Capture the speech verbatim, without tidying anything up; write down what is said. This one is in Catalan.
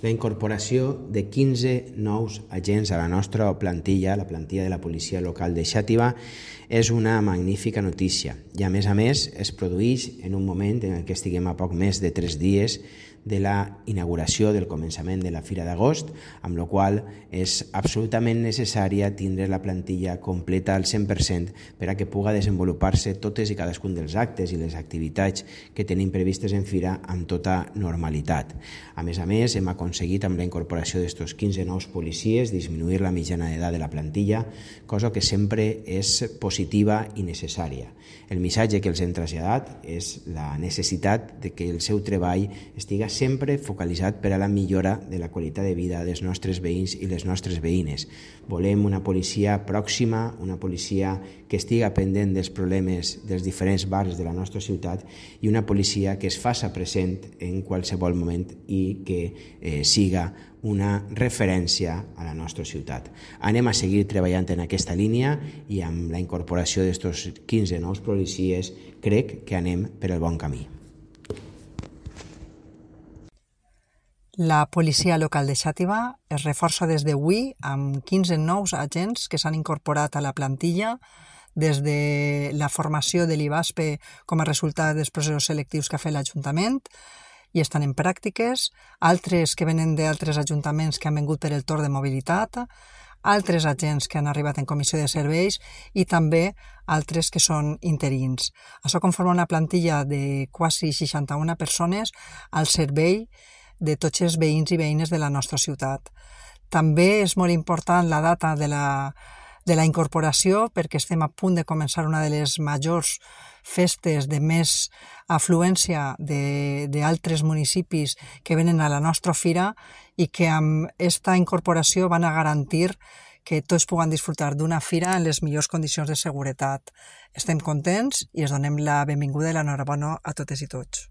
La incorporació de quinze nous agents a la nostra plantilla, la plantilla de la policia local de Xàtiva, és una magnífica notícia i a més a més es produeix en un moment en què estiguem a poc més de tres dies de la inauguració del començament de la Fira d'Agost, amb la qual és absolutament necessària tindre la plantilla completa al cent per cent per a que pugui desenvolupar-se totes i cadascun dels actes i les activitats que tenim previstes en Fira amb tota normalitat. A més a més, hem aconseguit amb la incorporació d'estos quinze nous policies disminuir la mitjana d'edat de la plantilla, cosa que sempre és positiva i necessària. El missatge que els hem traslladat és la necessitat de que el seu treball estigui sempre focalitzat per a la millora de la qualitat de vida dels nostres veïns i les nostres veïnes. Volem una policia pròxima, una policia que estiga pendent dels problemes dels diferents barris de la nostra ciutat i una policia que es faça present en qualsevol moment i que eh, siga una referència a la nostra ciutat. Anem a seguir treballant en aquesta línia i amb la incorporació d'estos quinze nous policies crec que anem per el bon camí. La policia local de Xàtiva es reforça des d'avui amb quinze nous agents que s'han incorporat a la plantilla des de la formació de l'I B A S P com a resultat dels processos selectius que ha fet l'Ajuntament i estan en pràctiques, altres que venen d'altres ajuntaments que han vingut per el torn de mobilitat, altres agents que han arribat en comissió de serveis i també altres que són interins. Això conforma una plantilla de quasi seixanta-una persones al servei de tots els veïns i veïnes de la nostra ciutat. També és molt important la data de la, de la incorporació perquè estem a punt de començar una de les majors festes de més afluència d'altres municipis que venen a la nostra fira i que amb aquesta incorporació van a garantir que tots puguen disfrutar d'una fira en les millors condicions de seguretat. Estem contents i es donem la benvinguda i l'enhorabona a totes i tots.